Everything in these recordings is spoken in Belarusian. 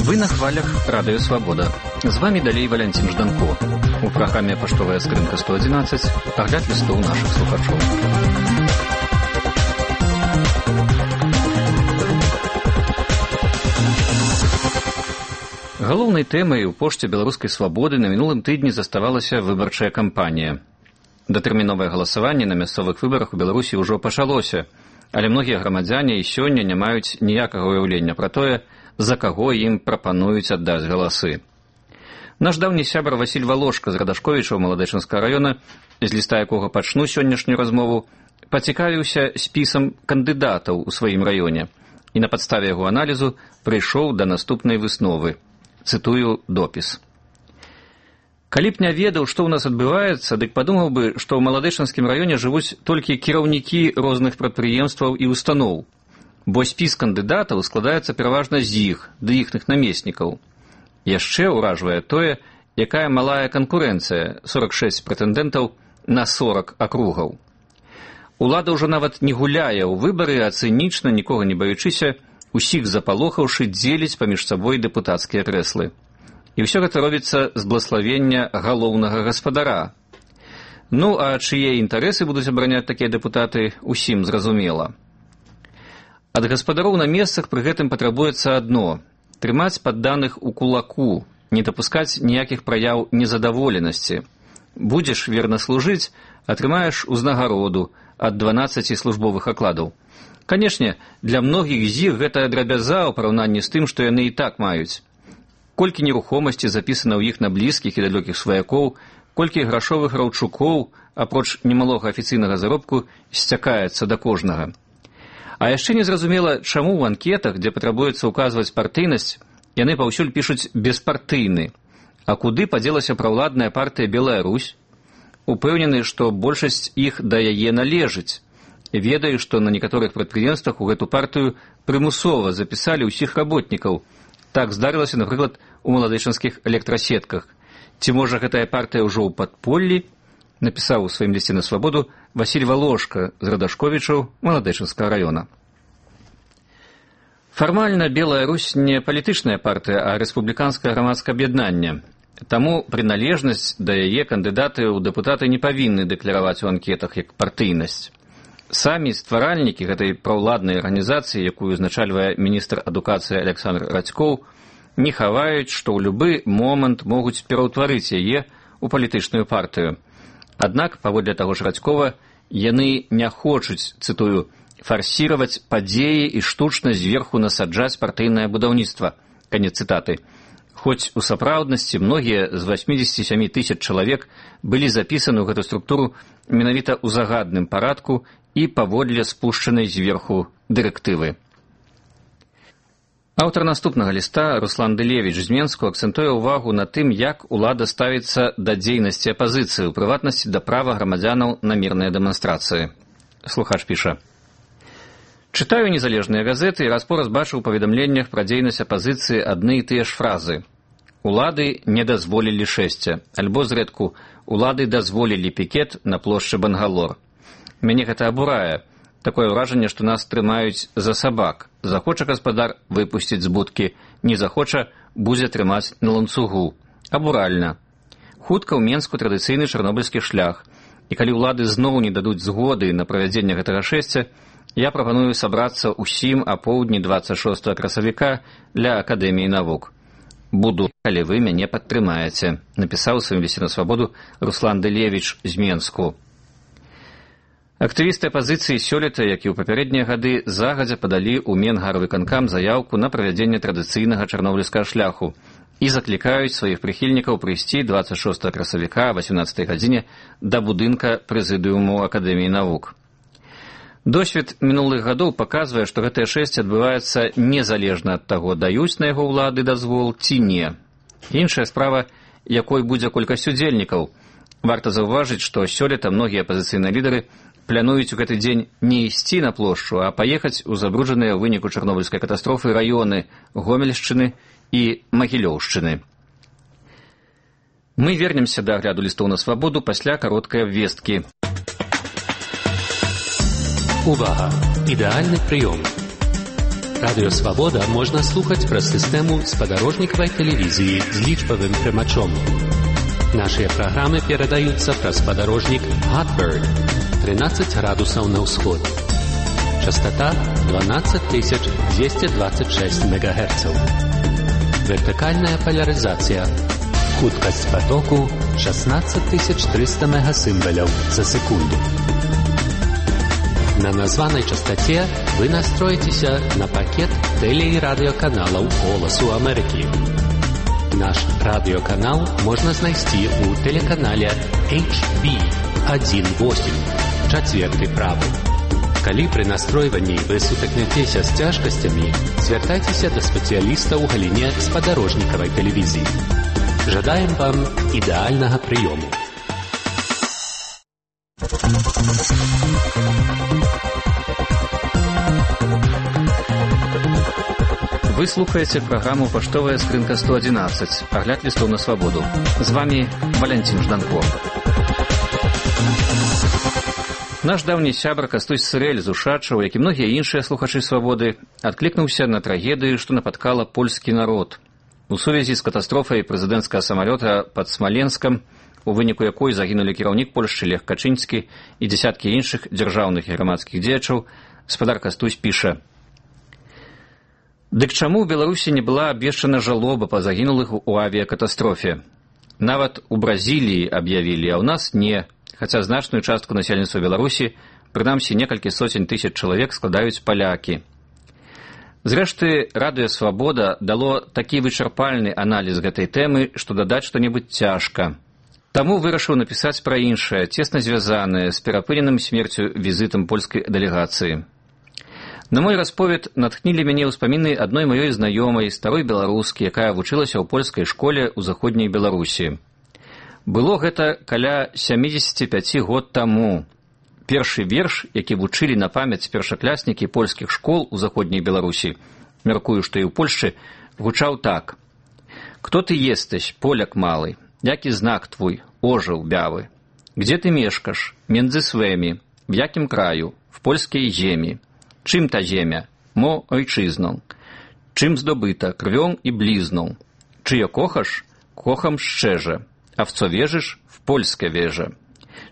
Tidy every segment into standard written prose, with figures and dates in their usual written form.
Вы на хвалях Радио Свобода. З вами далей Валентин Жданко. У праграме «Паштовая скрынка 111» агляд лістоў нашых слухачоў. Галоўнай тэмай у пошце беларускай свабоды на мінулым тыдні заставалася выбарчая кампанія. Датэрміновае галасаванне на мясцовых выбарах у Беларусі ўжо пачалося, але многія грамадзяне і сёння не маюць ніякага ўяўлення пра тое, за каго ім прапануюць аддаць галасы. Наш даўні сябар Васіль Валошка з Радашковічаў Маладэчынскага раёна, з ліста якога пачну сённяшнюю размову, пацікавіўся спісам кандыдатаў у сваім раёне і на падставе яго аналізу прыйшоў да наступнай высновы. Цытую допіс. Калі б не ведаў, што ў нас адбываецца, дык падумаў бы, што ў Маладэчынскім раёне жывуць толькі кіраўнікі розных прадпрыемстваў і устаноў, бо спіс кандыдатаў складаецца пераважна з іх, ды іхных намеснікаў. Яшчэ ўражвае тое, якая малая канкурэнцыя, 46 прэтэндэнтаў на 40 акругаў. Улада ўжо нават не гуляе ў выбары, а цынічна, нікога не баючыся, усіх запалохаўшы, дзеліць паміж сабой дэпутацкія крэслы. І ўсё гэта робіцца з блаславення галоўнага гаспадара. Ну, а чые інтарэсы будуць абараняць такія дэпутаты, усім зразумела. Ад гаспадароў на месцах пры гэтым патрабуецца адно – трымаць падданых у кулаку, не дапускаць ніякіх праяў незадаволенасці. Будзеш верна служыць, атрымаеш узнагароду ад 12 службовых акладаў. Канешне, для многіх з іх гэта драбяза ў параўнанні з тым, што яны і так маюць. Колькі нерухомасці запісана ў іх на блізкіх і далёкіх сваякоў, колькі грашовых раўчукоў, апроч немалога афіцыйнага заробку, сцякаецца да кожнага. А яшчэ незразумела, чаму ў анкетах, дзе патрабуецца ўказваць партыйнасць, яны паўсюль пішуць «беспартыйны». А куды падзелася праўладная партыя «Белая Русь»? Упэўнены, што большасць іх да яе належыць. Ведаю, што на некаторых прадпрыемствах у гэту партыю прымусова запісалі ўсіх работнікаў. Так здарылася, напрыклад, у маладэчынскіх электрасетках. Ці можа гэтая партыя ўжо ў падполлі? Напісаў у сваім лісце на свабоду Васіль Валошка з Радашковічаў Маладэчынскага раёна. Фармальна Белая Русь не палітычная партыя, а рэспубліканскае грамадскае аб'яднанне. Таму прыналежнасць да яе кандыдаты ў дэпутаты не павінны дэкляраваць у анкетах як партыйнасць. Самі стваральнікі гэтай праўладнай арганізацыі, якую узначальвае міністр адукацыі Александр Радзькоў, не хаваюць, што ў любы момант могуць пераўтварыць яе ў палітычную партыю. Аднак, паводле таго ж Радзькова, яны не хочуць, цытую, «фарсіраваць падзеі і штучна зверху насаджаць партыйнае будаўніцтва». Канец цытаты. Хоць у сапраўднасці многія з 87 000 чалавек былі запісаны ў гэту структуру менавіта ў загадным парадку і паводле спушчанай зверху дырэктывы. Аўтар наступнага ліста Руслан Дылевіч з Менску акцэнтуе ўвагу на тым, як улада ставіцца да дзейнасці апазіцыі, у прыватнасці да права грамадзянаў на мірныя дэманстрацыі. Слухач піша. Чытаю незалежныя газеты і раз-пораз бачу ў паведамленнях пра дзейнасць апазіцыі адны і тыя ж фразы. Улады не дазволілі шэсця, альбо зрэдку улады дазволілі пікет на плошчы Бангалор. Мяне гэта абурае. Такое ўражанне, што нас трымаюць за сабак. Захоча гаспадар выпусціць з будкі, не захоча будзе трымаць на ланцугу. Абуральна. Хутка ў Менску традыцыйны чарнобыльскі шлях. І калі ўлады зноў не дадуць згоды на правядзенне гэтага шэсця, я прапаную сабрацца ўсім апоўдні 26 красавіка ля Акадэміі навук. Буду, калі вы мяне падтрымаеце, напісаў у сваім лісце на свабоду Руслан Дылевіч з Менску. Актывісты апазіцыі сёлета, як і ў папярэднія гады, загадзя падалі ў Менгарвыканкам заяўку на правядзенне традыцыйнага чарнобыльскага шляху і заклікаюць сваіх прыхільнікаў прыйсці 26 красавіка о 18 гадзіне да будынка прэзідыуму Акадэміі навук. Досвед мінулых гадоў паказвае, што гэтае шэсце адбываецца незалежна ад таго, даюць на яго ўлады дазвол ці не. Іншая справа, якой будзе колькасць удзельнікаў. Варта заўважыць, што сёлета многія апазіцыйныя лідары плануюць у гэты дзень не ісці на плошчу, а паехаць у забруджаныя ў выніку чарнобыльскай катастрофы раёны Гомельшчыны і Магілёўшчыны. Мы вернемся да агляду лістоў на свабоду пасля кароткай абвесткі. Увага! Ідэальны прыём. Радыё «Свабода» можна слухаць праз сістэму спадарожнікавай тэлевізіі з лічбавым прымачом. Нашыя праграмы перадаюцца праз спадарожнік Hotbird 13 градусаў на ўсход. Частота 12226 МГц. Вертыкальная поляризация. Хуткасць потоку 16300 мегасимволяў за секунду. На названай частоте вы настроитеся на пакет теле- и радиоканалаў «Голосу Америки». Наш радиоканал можно знайсці у телеканале HB18, чацверты правы. Калі пры настройванні вы сутыкнецеся з цяжкасцямі, звяртайцеся да спецыяліста ў галіне спадарожнікавай тэлевізіі. Жадаем вам ідэальнага прыёму. Вы слухаеце праграму «Паштовая скрынка 111», агляд лістоў на свабоду. З вами Валянцін Жданко. Наш даўні сябра Кастусь Сырэль з Ушачаў, як і многія іншыя слухачы свабоды, адклікнуўся на трагедыю, што напаткала польскі народ. У сувязі з катастрофай прэзідэнцкага самалёта пад Смаленскам, у выніку якой загінулі кіраўнік Польшчы Лех Качынскі і дзясяткі іншых дзяржаўных і грамадскіх дзеячаў, спадар Кастусь піша: «Дык чаму ў Беларусі не была абвешчана жалоба па загінулых у авіякатастрофе? Нават у Бразіліі аб'явілі, а ў нас не. Хаця значную частку насельніцтва Беларусі, прынамсі некалькі сотень тысяч чалавек, складаюць палякі». Зрэшты, радыё «Свабода» дало такі вычарпальны аналіз гэтай тэмы, што дадаць што-небудзь цяжка. Таму вырашыў напісаць пра іншае, цесна звязанае з перапыненым смерцю візітам польскай дэлегацыі. На мой расповед натхнілі мяне ўспаміны адной маёй знаёмай, старой беларускі, якая вучылася ў польскай школе ў заходняй Беларусі. Было гэта каля 75 год таму. Першы верш, які вучылі на памяць першакляснікі польскіх школ у заходняй Беларусі, мяркую, што і ў Польшчы, гучаў так: «Кто ты естась, поляк малый, які знак твой, ожыл бявы? Где ты мешкаш, мендзы свемі, в якім краю, в польскай земі? Чым та земя, мо ойчызną? Чым здобыта, крвём і блізną? Чыё кохаш, кохам шчэжа, а в co wierzysz, w Polskę wierzę.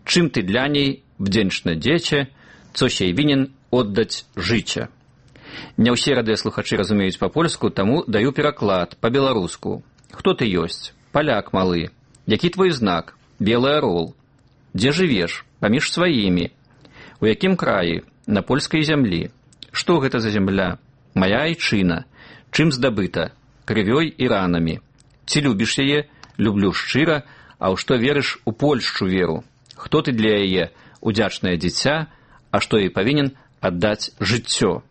Czym ty dla niej wdzięczne dziecię, co się winien oddać życie». Не ўсе радыёслухачы разумеюць па-польску, таму даю пераклад па-беларуску. «Хто ты ёсць? Паляк малы. Які твой знак? Белы арол. Дзе жывеш? Паміж сваімі. У якім краі? На польскай зямлі. Што гэта за зямля? Мая айчына. Чым здабыта? Крывёй і ранамі. Ці любіш яе? Люблю шчыра, а ў што верыш, у Польшчу веру. Хто ты для яе? Удзячнае дзіця, а што ёй павінен аддаць жыццё».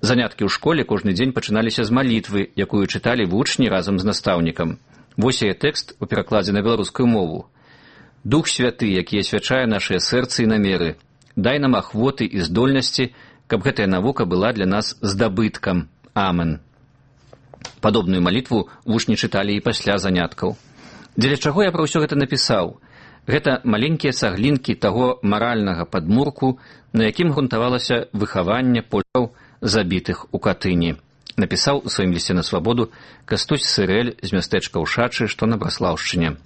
Заняткі ў школе кожны дзень пачыналіся з малітвы, якую чыталі вучні разам з настаўнікам. Вось яе тэкст у перакладзе на беларускую мову. «Дух святы, які асвячае нашыя сэрцы і намеры, дай нам ахвоты і здольнасці, каб гэтая навука была для нас здабыткам. Амен». Падобную малітву вучні чыталі і пасля заняткаў. Дзеля чаго я пра ўсё гэта напісаў? Гэта маленькія цаглінкі таго маральнага падмурку, на якім грунтавалася выхаванне поляў, забітых у Катыні. Напісаў у сваім лісце на свабоду Кастусь Сырэль з мястэчка Ушачы, што на Браслаўшчыне.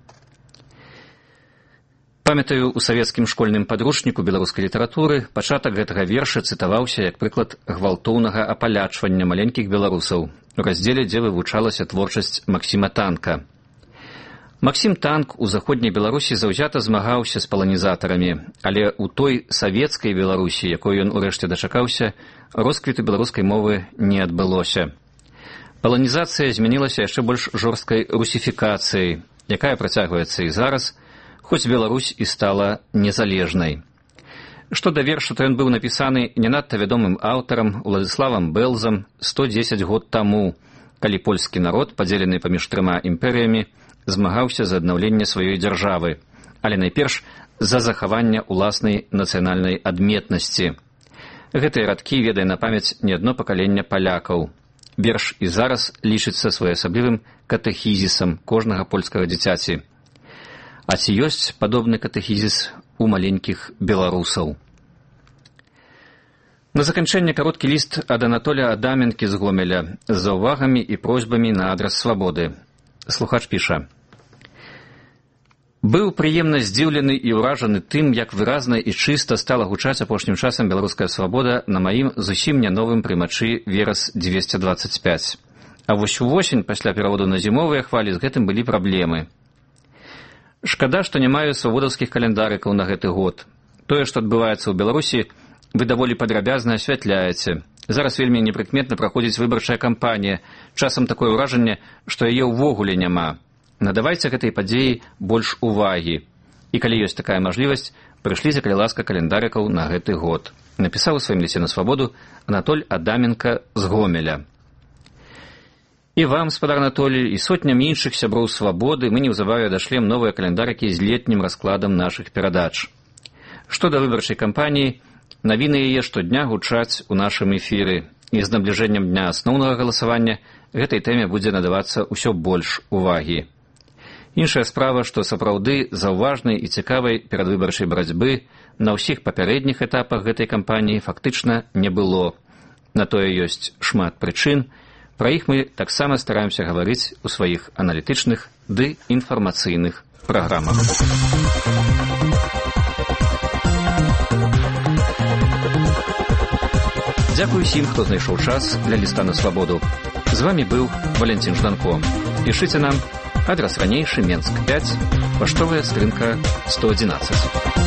Памятаю, у савецкім школьным падручніку беларускай літаратуры пачатак гэтага верша цытаваўся як прыклад гвалтоўнага апалячвання маленькіх беларусаў у раздзеле, дзе вывучалася творчасць Максіма Танка. Максім Танк у заходняй Беларусі заўзята змагаўся з паланізатарамі, але ў той савецкай Беларусі, якой ён урэшце дачакаўся, росквіту беларускай мовы не адбылося. Паланізацыя змянілася яшчэ больш жорсткай русіфікацыяй, якая працягваецца і зараз, хоць Беларусь і стала незалежнай. Што да верша, то ён быў напісаны не надта вядомым аўтарам Уладзіславам Бэлзам 110 год таму, калі польскі народ, падзелены паміж трыма імперыямі, змагаўся за аднаўленне сваёй дзяржавы, але найперш за захаванне ўласнай нацыянальнай адметнасці. Гэтыя радкі ведае на памяць не адно пакаленне палякаў. Верш і зараз лічыцца своеасаблівым катэхізісам кожнага польскага дзіцяці. А ці ёсць падобны катэхізіс у маленькіх беларусаў? На заканчэнне кароткі ліст ад Анатоля Адаменкі з Гомеля з заўвагамі і просьбамі на адрас свабоды. Слухач піша: «Быў прыемна здзіўлены і ўражаны тым, як выразна і чыста стала гучаць апошнім часам беларуская свабода на маім зусім не новым прымачы Верас-225. А вось увосень, пасля пераводу на зімовыя хвалі, з гэтым былі праблемы. Шкада, што не маю свабодаўскіх календарыкаў на гэты год. Тое, што адбываецца ў Беларусі, вы даволі падрабязна асвятляеце. Зараз вельмі непрыкметна праходзіць выбарчая кампанія. Часам такое ўражанне, што яе ўвогуле няма. Надавайце гэтай падзеі больш увагі. І калі ёсць такая мажлівасць, прышліце, калі ласка, календарыкаў на гэты год». Напісаў у сваім лісце на свабоду Анатоль Адаменка з Гомеля. І вам, спадар Анатолій, і сотням іншых сяброў свабоды мы неўзабаве дашлем новыя календарыкі з летнім раскладам нашых перадач. Што да выбарчай кампаніі, навіны яе штодня гучаць у нашым эфіры, і з набліжэннем дня асноўнага галасавання гэтай тэме будзе надавацца ўсё больш увагі. Іншая справа, што сапраўды заўважнай і цікавай перадвыбарчай барацьбы на ўсіх папярэдніх этапах гэтай кампаніі фактычна не было. На тое ёсць шмат прычын, пра іх мы таксама стараемся гаварыць у сваіх аналітычных ды інфармацыйных праграмах. Дзякуй усім, хто знайшоў час для ліста на свабоду. З вамі быў Валентин Жданко. Пішыце нам, адрас ранейшы, Менск 5, паштовая скрынка 111.